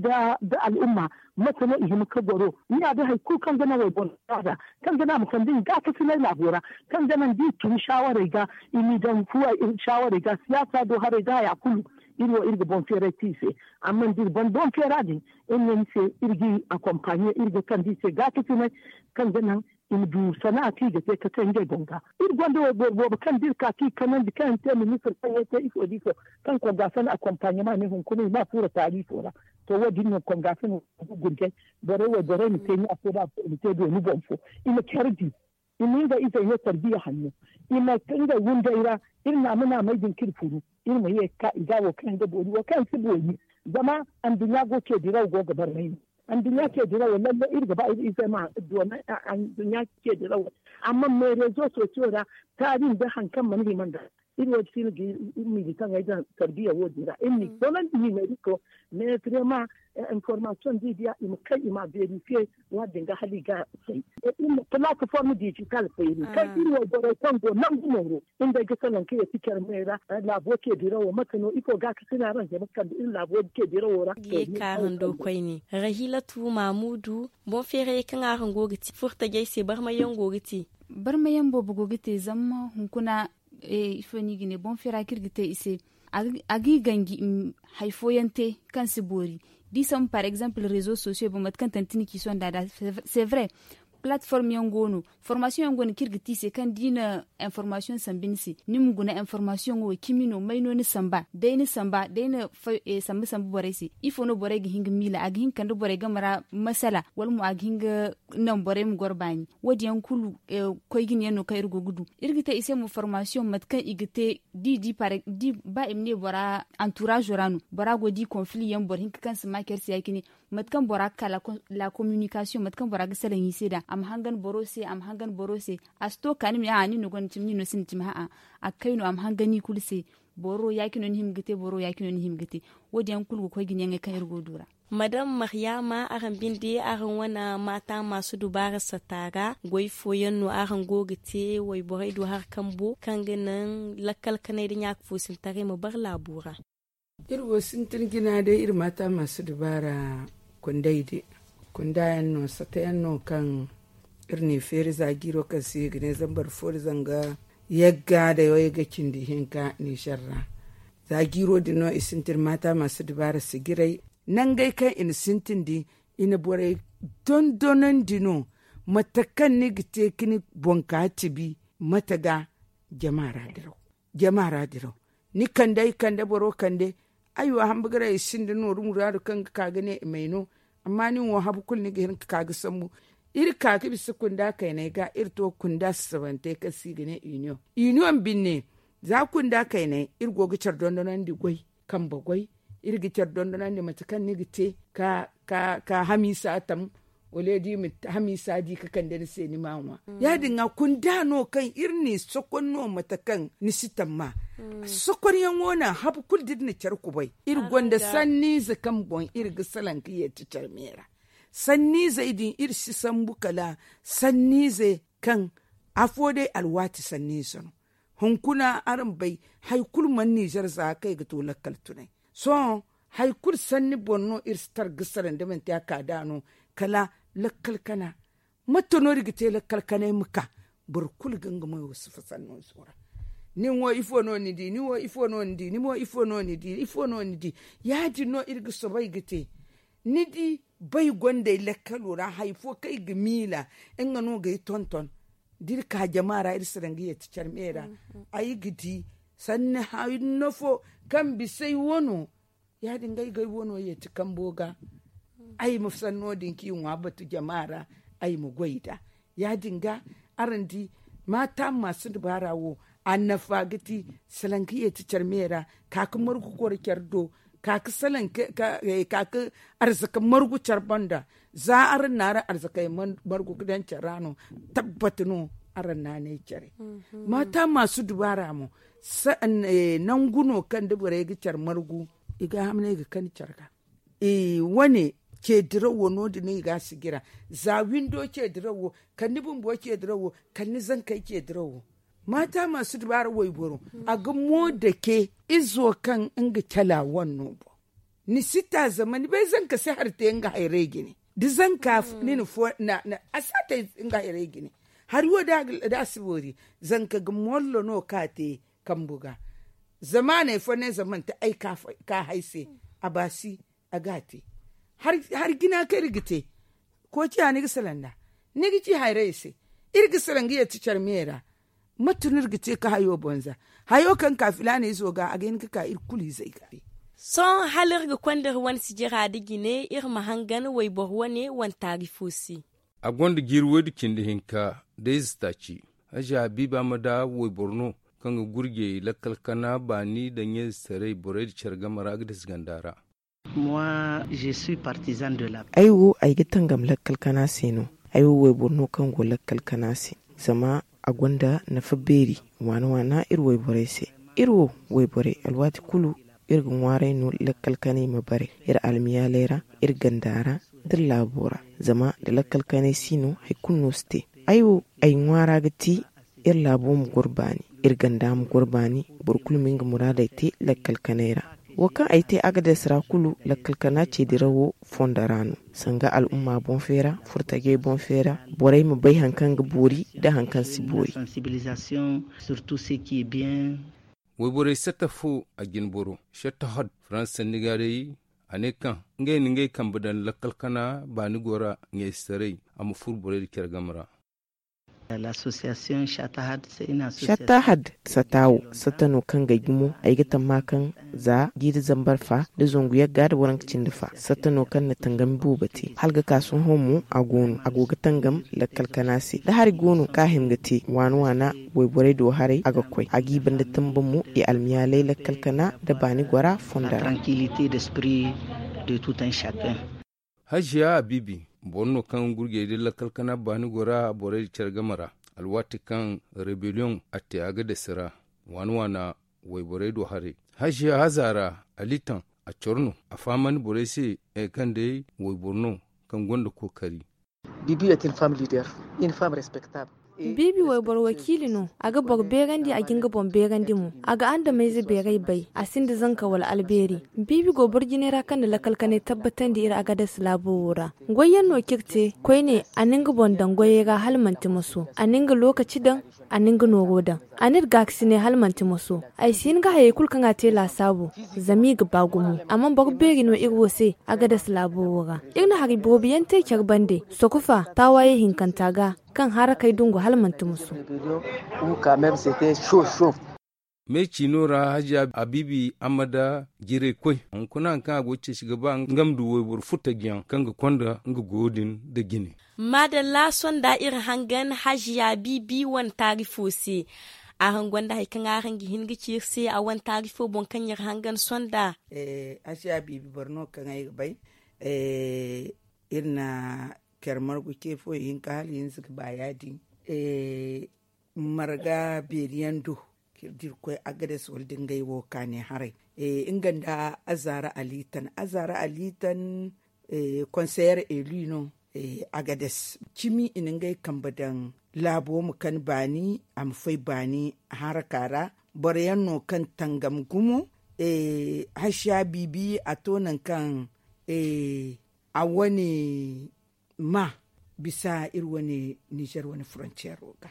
nda al'umma, mate no i hima ga goro? Ni ya day hari kulu kaŋ ga naŋ wayboro ga kaŋ ga naŋ a ma kande nga gaakasinay laabo ra, kaŋ ga naŋ da i tun sawarey ga, i m'i daŋ fuwey sawarey ga siyaasa do haray nda haya kulu. Iri wo iri ga boŋ feeray te i se. Amma da iri ban boŋ feera din, iri ne ni se iri ga i akompaɲe iri ga kande i se gaakasinay, kaŋ ga naŋ i ma du sana'a kaŋ i ga te ga te ngey boŋ ga. Iri gonda wayboro boobo kaŋ da iri ka kaŋ i kanandi kaŋ i na te ministir kaŋ yaŋ te ifo da ifo, kaŋ kongaasana akompaɲema ne hunkuna i ma a fuura taali ifo ra. To wo- din no kongaasana gurgay borey wayborey ma te ɲa fo da fo i ma te dooni boŋ fo. I ma care di. I ma ngey izey no tarbiya hanno. I ma ngey wunday ra. Iri naama naamey din kaŋ iri furu, iri ma ye ga ka i ga wo kaŋ yaŋ ga boori wo kaŋ yaŋ si boori. Zama anduɲɲa go ce diraw go ga barmay no. Anduɲɲa ce dirawo lalle iri ga ba iri izey ma doona anduɲɲa ce dirawo. Amma me rezo sosiyo ra taari nda hari kaŋ mana hima nd'a. Iri wo- din si no ga iri miibi kaŋ ay daŋ tarbiya wo- din ra iri m'i donandi nimeeriko. Mais vraiment, information da i diya i ma kay i m'a beerifiye. Wa- din ga hala i ga fay. Iri ma plateforme digital feeri kaŋ iri wo borey kaŋ go nangu mooro. Iri day ga salaŋ ka ye ti care me ra. Laabo ce dirawo mate no ifo ga ka sina ra zama kande iri laabo ce dirawo ra. Ye ka hando koyne rahilatu mamudu. Boŋ feerayey kaŋ araŋ go ga te furtajey se barmayaŋ go ga te. Barmayaŋ boobo go ga te zama hunkuna. Ifo no i ga ne boŋ feera kaŋ iri ga te i se. A ga i ganji hari fooyaŋ te kaŋ si boori. Da i sambu par exemple rezo sosiyo boŋ mate kaŋ tantini ci sonda nd'a. C'est vrai. Plateforme yaŋ go no. Formasiyoŋ yaŋ go no kaŋ iri ga te i se kaŋ da i na informasiyoŋ sambu ni se ni ma guna informasiyoŋo wo cimi no may no ni samba day ni samba day ni sambu sambu borey se. Ifo no borey ga hin ga miila a ga hin ga kande borey game ra masala wala mo a ga hin ga naŋ borey ma goro baani. Wo- din yaŋ kulu koy jine yaŋ no kaŋ iri go ga du. Iri ga te i se mo formasiyoŋ mate kaŋ i ga te da i di ba i ma ne bora anturaazo ra no bora go ga di konfili yaŋ boro hinka kaŋ si ma care se ya- cine. Mate kaŋ bora ga ka la kominikasiyoŋ mate kaŋ bora ga salaŋ i se nd'a a ma hangan boro se a ma hangan boro se. A si to ka ni ma ne a'a nin no gonda cimi nin no sinda cimi a'a. A ga kay no a ma hangan i kulu se. Boro ya- cine no ni hima ga te boro ya- cine no ni hima ga te. Wo- din yaŋ kulu ga koy jine yaŋey kaŋ iri go ga du ra. Madam maryaama araŋ binde araŋ wane maata maasu dubaara sata ra goy fooyaŋ no araŋ go ga te wayborey du hari kambo kaŋ ga naŋ lakkal kanay nda ɲaaka foosintaray ma bare laabo ra. Iri wo sintin jina day iri maata maasu dubaara kunday de. Kunda yaŋ no sata yaŋ no kaŋ iri n'i feeri za jiiro kaŋ se i ga ne zambar foori zanga yagga day wo yagga cindi hinka nizer ra. Za jiiro din no i sintin maata maasu dubaara sijiray. Nangey kaŋ i na sintin din i na borey dondonandi no. Mate kaŋ ni ga te ka ni boŋ ka tibi mate ga jama ra diraw. Jama ra diraw ni kande ay kande boro kande. Ay wo hamba ga ra i sinda nooru muraadu kaŋ ga ka ga ne i may no. Amma nin wo habu kulu ni ga hin ga ka ga sambu. Iri ka ga bisa kunda kaynay ga iri to kunda sasabantey kaŋ se i ga ne union. Union binne za kunda kaynay iri go ga care dondonandi goy kambe goy. Iri ga care dondonandi mate kaŋ ni ga te ka hamiisa tam. Wala ya- di ma hamiisa di ka kande ni se ni ma ŋwa. Ya- din ga kunda no kaŋ iri n'i sokon no mate kaŋ ni si tamma. Sokonyaŋo no habu kulu da iri na care kubay, iri gonda sanniize kaŋ boŋ iri ga salaŋ ka yeeti care me ra. Sanniizey din iri si sambu kala sanniize kaŋ afo day alwaati sanniize no. Hunkuna araŋ bay, hari kulu mana nizer za kaŋ i ga to lakkal tunay. Sohõ hari kulu sanni boŋ no iri si tara ga salaŋ da manti a ka da no. Kala lakkal kana. Mate no iri ga te lakkal kanay ma ka? Boro kulu ga nga mayo sifa sanno zora. Nin wo ifo no ni di ni wo ifo no ni di ni mo ifo no ni di ifo no ni di? Ya- din no iri ga soobay ga te. Ni di, bay gonda ay lakkalo ra hari fo kaŋ ay ga miila nga no ga ay tonton. Da iri ka jama ra iri si daŋ ga yeeti care me ra. Ay ga di sanni hanno fo kaŋ bisa ay wano. Ya- din ga ay ga ay wano yeeti kambo ga. Ay ma sanno din kaŋ i ŋwa batu jama ra. Ay ma goy nd'a. Ya- din ga araŋ di, maata ma si dubaara wo. A nafa ga ti salaŋ ga yeeti care me ra. Ka ga margu goro care do. Ka ga salaŋ ka ka arzaka margu care banda. Za araŋ na araŋ arzakey margu ga daŋ care ra no. Tabbat no araŋ na ne care. Maata ma si dubaara mo. Nangu no kaŋ da borey ga care margu, i ga hamnay ga kani care ga. Wane, ce dirawo no- din no i ga sigira. Za windo ce dirawo, kala ni bumbo ce dirawo, kala ni zankey ce dirawo. Maata ma si dubaara wayboro. A ga mo dake izo kaŋ nga cala wane no boŋ. Ni si ta zama ni bay zanka si hari te nga hayrey jine. Da zanka ni na fo a si a te nga hayrey jine. Hari wo da a si boori, zanka ga mollo no ka te kambu ga. Zama a ne fo ne zama manti ay ka hay se. A baasi a ga a te. Hari jina kaŋ iri ga te. Koociya ni ga salaŋ nd'a. Ni ga ci hayrayey se. Iri ga salaŋ ga yeeti care me ra. Mate no iri ga te ka hayo boŋ za? Hayo kaŋ ka filaana izo ga a ga hin ga ka iri kulu izey ga. Sohõ hala iri ga konda iri wane sijira nda jine iri ma hangan wayboro wane wane taarifo se. A gonda jiiri woy da cindi hinka da ize taaci. Hajiya habiiba ma da wayboro no kaŋ ga gurjey lakkal kana baani nda ɲayzetaray borey nda care game ra ga dasa ganda ra. Ay wo ay ga tangam lakkal kana se no. Ay wo wayboro no kaŋ go lakkal kana se. Zama a gonda nafa beeri waana waana iri wayborey se. Iri wo wayborey alwaati kulu iri ga ŋwaaray no lakkal kanay ma bare iri almiyaaley ra, iri ganda ra, da iri laabo ra. Zama nda lakkal kanay si no hari kulu no si te. Ay wo ay ŋwaara ga ti iri laabo ma goro baani, iri ganda ma goro baani. Boro kulu ma nga muraadey te lakkal kanay ra. Wo kaŋ ay te agades ra kulu lakkal kana ce dirawo fondo ra no. Sanga al'umma boŋ feera, furtajey boŋ feera, borey ma bay hari kaŋ ga boori nda hari kaŋ si boori. Wayborey satta fo a jine boro satta hod faransa sanni ga day. A ne kaŋ ngey na ngey kambe daŋ lakkal kana baani gora ɲayzetaray a ma furo borey nda care game ra. Satta had satta wo satta no kaŋ ga ay gumo ay ga tamma kaŋ za jiiri zambar fa nda zangu yagga nda waranka cindi fa satta no kaŋ na tangami boobo te hala ga ka sohõ mo a go no a go ga tangam lakkal kana se da hari go no kaŋ a hima ga te waana waana. Wayborey do haray a ga koy a g'i banda tamba mo i almiyaalay lakkal kana nda baani gora fonda ra. Hajiya habiibi boro no kaŋ gurjey da lakkal kana baani gora borey nda care game ra alwaati kaŋ rebellion a te agades ra waana waana wayborey do haray. Hajiya haza ra a liitaŋ a coro no a fahamandi borey se kaŋ day wayboro no kaŋ gonda kookari. Biibi wayboro wakiili no. A ga boro beerandi a ga nga boŋ beerandi mo a ga andamayze beeray bay a sinda zanka wala albeeri. Biibi go boro jinay ra kaŋ na lakkal kanay tabbatandi iri agades laabo wo ra. Goyyaŋ no kaŋ iri te koyne a na nga boŋ daŋ goyey ra hala manti moso a na nga lookaci daŋ. A na nga nooro daŋ a n'iri gaakasinay hala manti moso. Ay si hin ga hayey kulu kaŋ a te laasaabu zama i ga ba gumo. Amma boro beeri no iri wo se agades laabo wo ra. Iri na hari boobo yaŋ te care bande sokofa taawaayey hinkanta ga kaŋ harakey dungu hala manti musu. Me ciino ra hajiya abiibi amma da jiraykoy hunkuna hari kaŋ a go ga ceeci ga ba nga ma du wayboro furtajiyaŋ kaŋ ga konda nga goyo din nda jine. Maadalla sonda iri hangan hajiya abiibi wane taarifo se. Araŋ gonda hari kaŋ araŋ ga hin ga ci iri se a wane taarifo boŋ kaŋ iri hangan sonda? Hajiya abiibi boro no kaŋ ay ga bay. Iri na care margu ce fo ihinka hala ihinza ga ba ya- din. Marga beeri yaŋ do k'iri da iri koy agades wala da ngey wo kaani haray. Nga nda azaara alitan azaara alitan konseyer eli no. Agades cimi i na ngey kambe daŋ laabo ma kani baani a ma fay baani haraka ra. Boro yaŋ no kaŋ tangam gumo hasiya biibi a to nangu kaŋ a wane ma bisa iri wane nizer wane frontiero ga.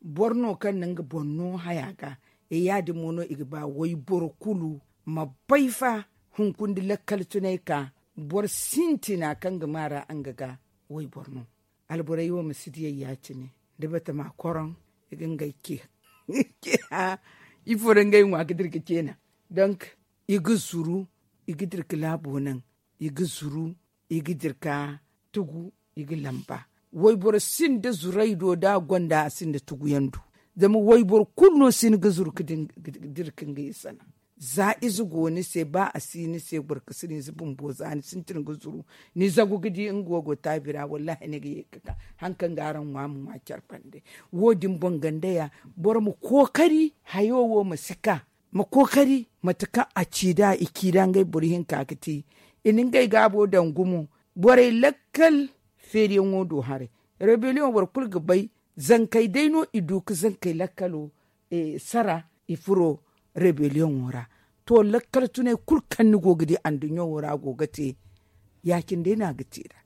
Boro no kaŋ na nga boŋ no haya ga ya- din mo no i ga ba wayboro kulu ma bay fa hunkuna da lakkal tunay ka boro sintina kaŋ ga ma ra nga ga wayboro no. Alborey wo ma si diyay ya- cine da batama koroŋ i ga ngey ce. Ifo ra ngey ŋwa ga dira ga ce naŋ donk i ga zuru i ga dira ga laabo naŋ i ga zuru i ga dira ga tugu i ga lamba. Wayboro sinda zuray do da a gonda a sinda tuguyaŋ do zama wayboro kulu no si ni ga zuru ga dira ga nga isa naŋ. Za ize go ni se ba a si ni se boro ga si ni ize bumbo za ni sintin ga zuru ni zagu ga di nga wo go taabi ra wallahi ni ga ye ga ka. Hari kaŋ ga araŋ ŋwa ma ŋwa care bande wo- din boŋ ganda ya boro ma kookari hayo wo ma si ka ma kookari mate kaŋ a ci nd'a i ci nd'a ngey boro hinka ga te. I na ngey gaabo daŋ gumo borey lakkal feeriyaŋo do haray. Rebellion boro kulu ga bay zankey day no i du ga zankey lakkalo sara i furo rebellion wo ra. To lakkal tunay kulu kaŋ ni go ga di anduɲɲo wo ra go ga te ya- cine day no a ga te nd'a.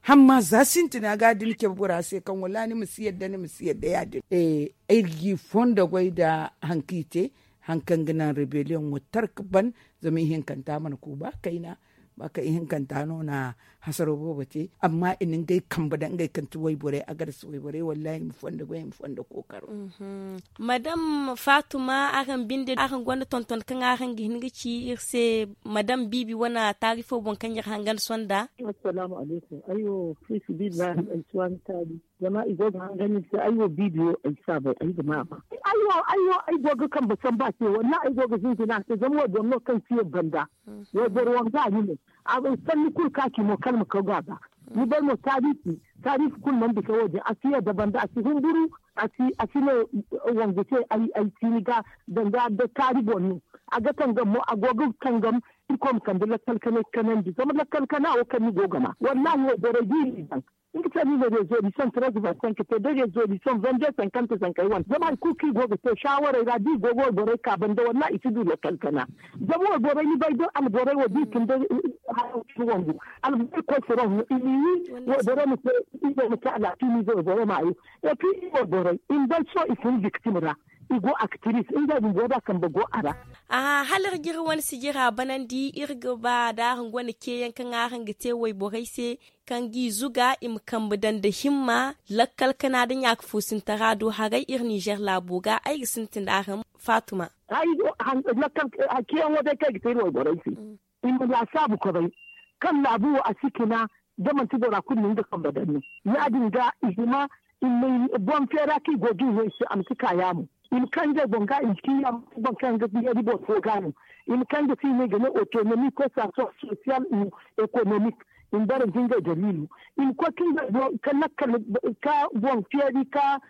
Hamma za sintina ga da ni cabe bora se kaŋ wala ni ma si yadda ni ma si yadda ya- din. Iri g'i fondo goy nda hari kaŋ i te hari kaŋ ga naŋ rebellion wo tara ga ban. Zama ihinkanta mana ku ba kayna ba kaŋ ihinkanta no na hasaro boobo te amma i na ngey kambe daŋ ngey kaŋ ti wayborey a ga da si wayborey wallahi i ma fondo goy i ma fondo kookaro. Madam fatuma araŋ binde araŋ gonda tonton kaŋ araŋ ga hin ga ci iri se madam biibi wane taari fo boŋ kaŋ iri hangan sonda. Assalamu alaykum. Ay wo fiisi billahi ay si waani taali. Zama i go ga hangan iri se ay wo biibi wo ay si a bay ay ga ma a ba. Ay wo ay wo ay go ga kambe samba se wallahi ay go ga hinjina a se zama wayboro no kaŋ si yabba nda wayboro wanga a ni no. A bay sanni kulu kaŋ a ci mo kala ma kaw ga a ba. Ni bay mo taarifi taarifi kulu mana bisa wo- din a si yadda banda a si humburu. A si ne wangu se ay si ni ga danga da taari boŋ no. A ga tangam mo a go ga tangam. Irkoy ma kande lakkal kanay kanandi zama lakkal kana wo kaŋ ni go ga ma wallahi wo borey da i n'i daŋ. Nga se no i na resolution treze vingt cinq te da resolution vingt deux cinquante zankey wane zama hari kulu kaŋ i go ga te shawarey ra da i go ga wayborey ka banda wallahi i si du lakkal kana. Zama wayborey ni bay da alborey wo da i tun da haya wo kaŋ wangu alborey koy furoŋ no i n'i wi wayborey ma te. Izo ma te alaafiya no ize wayborey ma hayo. Epi i wayborey i ma bay sohõ i fun victim ra. I go actrice ngey bumbo da kambe go a ra. Aha hala iri ga iri wane sijira banandi iri ga ba da araŋ gonda ceeyaŋ kaŋ araŋ ga te wayborey se kaŋ g'i zuga i ma kambe daŋ nda himma lakkal kana nda ɲaaka foosintara do haray iri ninzeer laabo ga ay ga sintin araŋ faatuma. Ceeyaŋo day kaŋ ay ga te iri wayborey se i ma laasaabu koray kaŋ laabu wo a si cina da manti bora kulu na nga kambe daŋ no. Ya- din ga i hima i ma boŋ feera kaŋ i go ga i no i se a ma si ka yaamo. I ma kaŋ ngey boŋ ga i ma si yaamo. Boro kaŋ ga yeeri boro fo ga no i ma kaŋ ga si i ne i ga ne autonomie ko sa sosiyal ou économique. I ma bare nda ngey daliilo i ma koy ka ngey boŋ ka lakkal ka boŋ feeri ka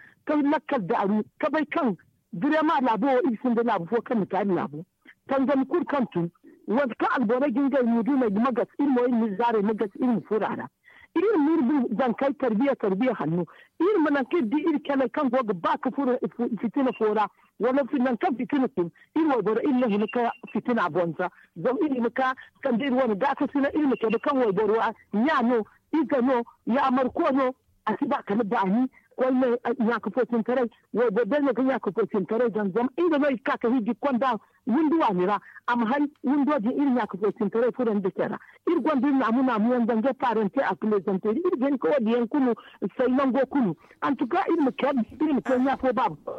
lakkal daaru ka bay kaŋ birema laabo wo iri sinda laabu fo kaŋ na taali laabo. Tangami kulu kaŋ tun wala kaŋ alborey ga ngey muudumey ga magas iri mo iri ma iri zaarey magas iri ma furo a ra. Iri ma iri zankey tarbiya tarbiya hanno. Iri ma nangu kaŋ iri di iri caley kaŋ go ga ba ka furo fitina fo ra wala nangu kaŋ fitina tun iri wayboro iri na hima ka fitina bonza. Zama iri hima ka sanda iri wane gaakasina iri ma cabe kaŋ wayboro ɲa no, ize no, yaamarko no. A si ba kala baani koyne ɲaaka fo sintaray. Wayboro day no ga ɲaaka fo sintaray daŋ zama nga no i ga ka ka hiji konda windi waani ra. A ma hay windo din iri ɲaaka fo sintaray furandi care ra. Iri gonda iri naamu naamu yaŋ danga parante a plezanteri iri ga hin ka wo- din yaŋ kulu say nango kulu. Antuka iri ma care iri ma te ɲa fo baaba fo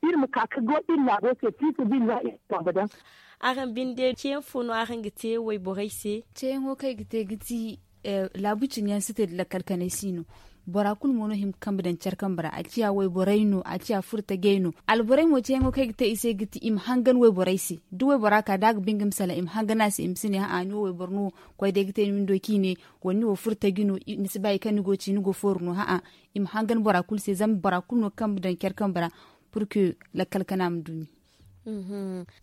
iri ma ka ka go iri laabo se fiisa billahi iri ma kambe daŋ. Araŋ binde ceeyaŋ fo no araŋ ga te wayborey se? Ceeyaŋo kaŋ ay ga te ga ti laabu cine yaŋ si te nda lakkal kanay si no. Bora kulu mo no hima ga kambe daŋ care kambe ra a ciya wayborey no a ciya furo tajey no. Alborey mo ceeyaŋo kaŋ ay ga te i se ga ti i ma hangan wayborey se. Da waybora ka da a ga ba nga ma salaŋ i ma hangan a se i ma si ne ha'a ni wo wayboro no. Koy day ga te ni windo kaŋ i ne wala ni wo furo taji no ni si ba hari kaŋ ni go ga ci ni go fooru no ha'a. I ma hangan bora kulu se zama bora kulu no ga kambe daŋ care kambe ra. Pur que lakkal kana ma du ni.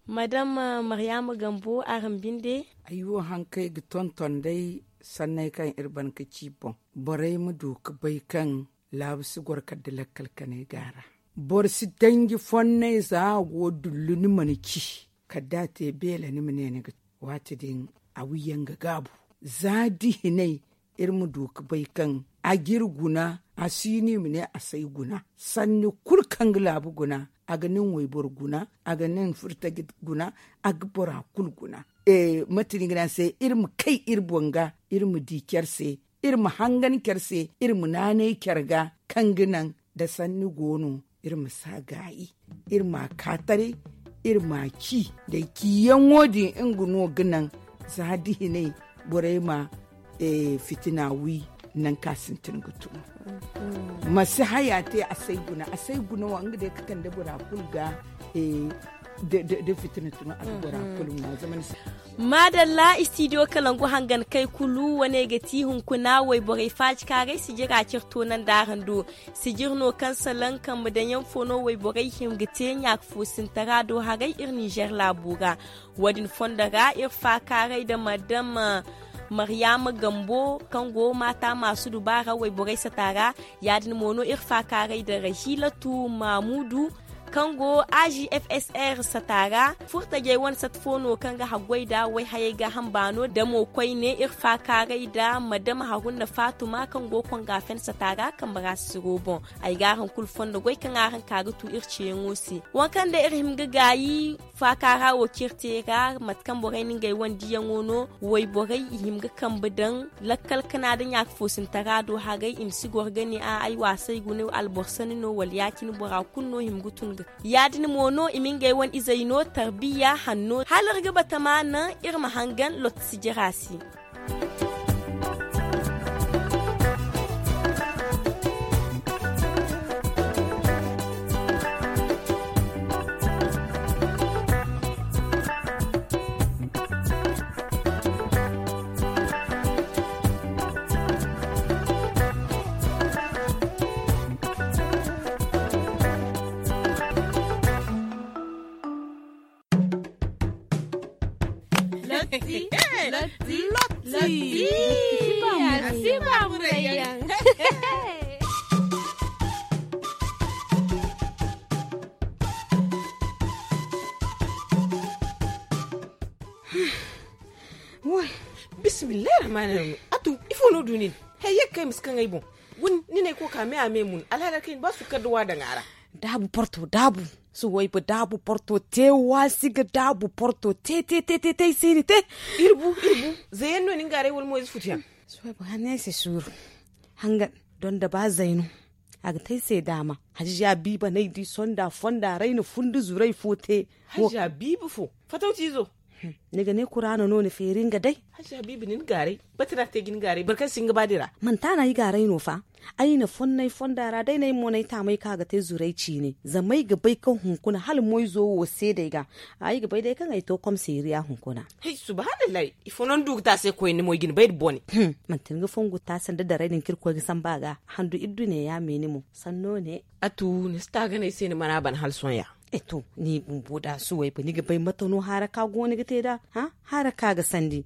Madam maryaama gambo araŋ binde. Ay wo haŋ kaŋ ay ga tonton day sanney kaŋ iri ban ga ci boŋ. Borey ma du ga bay kaŋ laabu si goro kala da lakkal kanay go a ra. Boro si danji fonnay za a go dullu ni mana ci kala da a te beela ni ma ne ni ga. Waati din a wi yaŋ ga gaabu. Za da hinay iri ma du ga bay kaŋ a ga iri guna. A si no i ma ne a si ay guna. Sanni kulu kaŋ ga laabu guna a ga nin wayboro guna. A ga nin furtaji guna. A ga bora kulu guna. Mate no i ga ne a se iri ma kay iri boŋ ga iri ma di care se. Iri ma hangan care se iri ma naanay care ga kaŋ ga naŋ da sanni go no. Iri ma si a gaayi iri ma a ka taray. Iri ma a ci day ciyaŋo din nga no ga naŋ za da hinay borey ma fitina wi. Nangu kaŋ a sintin ga tun ma si haya te a si ay guna a si ay guna wa nga day ga kande bora kulu ga. Da fitina tun a ga bora kulu ŋwa zama ni si. Maadalla istidiyo kalangu hangan kay kulu wane ga ti hunkuna wayborey faaji kaaray sijira cire toonandi araŋ do. Sijir no kaŋ salaŋ kambe daŋyaŋ fo no wayborey hima ga te ɲaaka fo sintara do haray iri ninzeer laabo ra. Wo- din fondo ra iri faakaaray nda madam maryaama gambo kaŋ go maata maasu dubaara wayborey sata ra. Ya- din mo no iri faakaaray nda rahilatu maamudu kaŋ go a g f s r sata ra. Furtajey wane sata fo no kaŋ ga haggoy nda wayhayey gaaham baano damo koyne iri faakaaray nda madam haruna faatuma kaŋ go konga fen sata ra kambe ra siro boŋ. Ay ga araŋ kulu fondo goy kaŋ araŋ ka ga tu iri ceeyaŋo se. Waŋ kaŋ day iri hima ga gaayi faakaara wo cire te ra mate kaŋ borey na ngey wane diyaŋo no. Wayborey i hima ga kambe daŋ lakkal kana nda ɲaaka fo sintara do haray i ma si goro ga ne a ay waasay guna alboro sanni no wala ya- cine bora kulu no hima ga tun ga. Ya- din mo no i ma ngey wane izey no tarbiya hanno hala iri ga batama naŋ iri ma hangan lotti sijira se. Lotti. Lotti. Lotti. Lotti. Lotti. Lotti. Lotti. Bismillahi rahmani rahim. Atu ifo no du nin? Hey yagga kay ma si kaŋ ay boŋ. Gun ni ne ay ko ka me a me mun alhala kay ni ba sukkar da wa daŋ a ra. Daabu porto daabu. Suwayba daabu porto te waasi ga daabu porto te te te te te ay si ni te. Iri bu iri bu. Zayan no ni nga aray wala mo ize futu yaŋ. Suwayba hanne ay se suuru. Hangan donda ba zayno. A ga te ay se daama. Hajja biiba no ay di sonda fonda ra ay na fundi zuray fo te. Hajja biiba fo? Fatawti izo. Ni ga ne kuraana no ni feeri nga day. Hajja biiba ni ni gaaray. Bati no a te ga ni gaaray boro kaŋ si nga ba dira. Manti a no ay gaaray no fa. Ay na fonnay fonda ra day no ay mo no ay taamay kaŋ a ga te zuray ciine zama ay ga bay kaŋ hunkuna hala moyzo wo seedey ga. Ay ga bay day kaŋ ay to komiseeriya hunkuna. Hay subhanallahi. Ifo no ni du ga te a se koyne mo ay ga ni bay nda bone. Manti ni ga fongu taasa nda daray din kaŋ irkoy ga sambu a ga. Handu iddu ne ya me ni mo sanno ne. Atu ni si taaganay se ni mana ban hala sohõ ya. E to ni bumbo da suwayba ni ga bay mate no haara ka go ni ga te da? Haara ka ga sandi.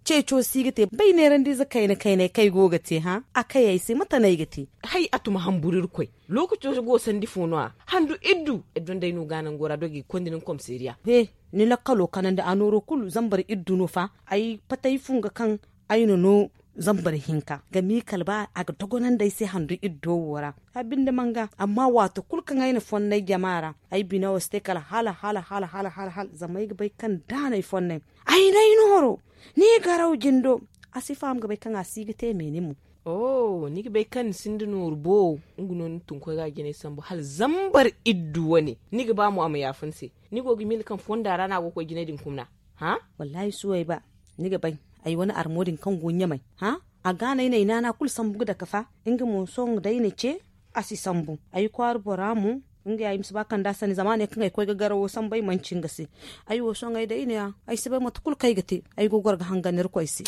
Ceeco si ga te bay neerandiize kayna kaynay kaŋ ay go ga te. A kay ay se mate no ay ga te? Hay a tuma hamburu irkoy. Lookaco go sandi fo no- ya handu iddu. Ay donday no ga nango ra dogi ga konda ni komiseeriya. He, ni lakkalo kanandi a nooro kulu zambar iddu no fa. Ay pate ay funga kaŋ ay na no zambar hinka ga miikal ba a ga dogonandi ay se handu iddo wo ra. A binde manga amma waato kulu kaŋ ay na fonnay jama ra ay bina wo si te kala hala hala hala hala hala hala zama ay ga bay kaŋ da no ay fonnay. Ay no ay nooro. Ni garaw jindo. A si faham ga bay kaŋ a si ga te me ni mo. Oh ni ga bay kaŋ ni sinda nooru boowo. Nga no ni tunkoy ga jinay sambu hala zambar iddu wane ni ga ba mo a ma yaafa ni se. Ni go ga miila kaŋ fonda ra no a go ga koy jinay din kumna? Hã? Wallahi suway ba ni ga bay. Ay wane armo din kaŋ go ɲamay hã? A ga no ay na ay naana kulu sambu ga dake fa. Nga mo sohõ day na ce a si sambu. Ay kwaara bora mo, nga ya ay ma si ba kand'a sanni zama a ne kaŋ ay koy ga garawo sambu ay manci nga se. Ay wo sohõ ay day ne ya ay si bay mate kulu kaŋ ay ga te. Ay go ga goro ga hangan irkoy se.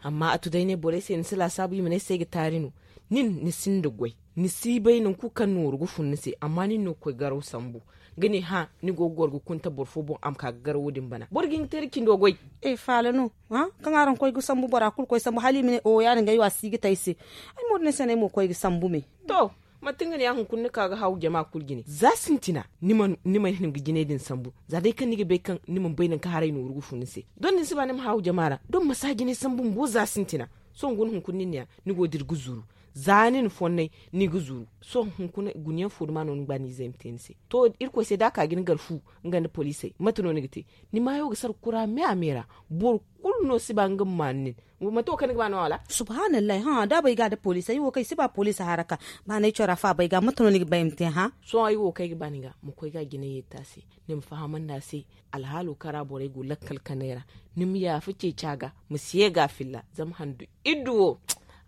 Amma a tu day ne borey se ni si laasaabu i ma ne ay se ay ga taari no. Nin ni sinda goy, ni si bay nangu kulu kaŋ nooru ga fun ni se. Amma nin no ga koy garaw sambu ga ne hã, ni go ga goro ga kunta boro fo boŋ a ma ka ga garawo din bana boro ga hin ga te iri cindo goy. Faala no, kaŋ araŋ koy ga sambu bora kulu koy sambu hala i ma ne o ya- din ga ay wo a si ga te ay se. Ay mo din ay se no ay mo ga koy ga sambu me. To, manti nga ne ya hunkuna ni ka ga haawu jama kulu jine za sintina. Ni mana hin ga jinay din sambu za day kaŋ ni ga bay kaŋ ni mana bay nangu kaŋ haray nooru ga fun ni se. Don da ni si ba ni ma haawu jama ra don ma si a jinay sambu bumbo za sintina. Sohõ guna hunkuna nin ne ya ni go dira ga zuru. Za ni na fonnay ni ga zuru. Sohõ hunkuna guna yaŋ fo duma no ni ga ba ni izey ma te ni se. To, irkoy se da a ka ga ni gar fu nga nda poliisey mate no ni ga te? Ni maayo ga sara kura me a me ra. Boro kulu no si ba nga ma maan nin. Manti wo kaŋ ni ga ba no wala? Subhaanallahi hã da bay ga da poliisey ay wo kaŋ ay si ba poliisi haraka. Ba no ay cora faaba ay ga mate no ni ga ba ay ma te hã? Sohõ ay wo kaŋ ay ga ba ni ga ma koy ga a jinay yeeti a se. Ni ma fahamandi a se. Alhaalo kaŋ ra borey go lakkal kanay ra, ni ma yaafa ceeci a ga ma si ye ga a filla. Zama handu iddu wo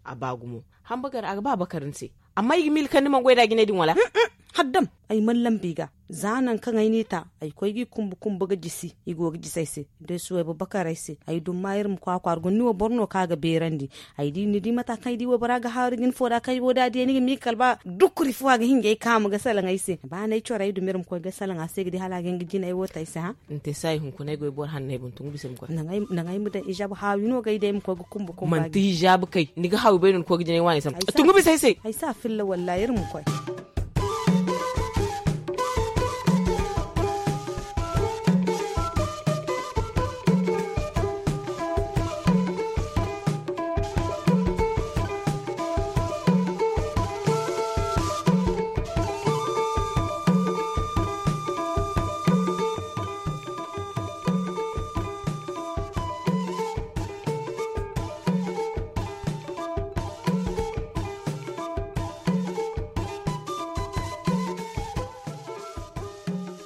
a ba gumo. Hamba gar a ga ba bakar ni se. Amma i ga miila kaŋ ni mana goy nd'a jinay din wala? Haddam, ay mana lambu i ga. Za nangu kaŋ ay n'i ta ay koy ga i kumbu kumbu ga jisi. I go ga jisi ay se. Day suway babakar ay se. Ay dumma iri ma kwaakwaara guna ni wo boro no kaŋ a ga beerandi. Ay di ni di mata kaŋ ay di waybora ga haaru jine fo da kaŋ ay go da a diya ni ga miila kala ba dukkuri fo a ga hin ga ay kaamu ga salaŋ ay se. Ba no ay coro ay dumi iri ma koy ga salaŋ a se ga di hala a ga hin ga jine ay wo te ay se hã? Ni te saayi hunkuna ay go ay boro hanno ay boŋ tungu bisa ay ma koy. Naŋ ay ma daŋ ijaabu haawi no ga ay day ay ma koy ga kumbu kumbu manti ijaabu kay ni ga haawi bay no ni koy ga jine ay waani sambu tungu bisa ay se. Ay si a filla wallaahi iri ma koy.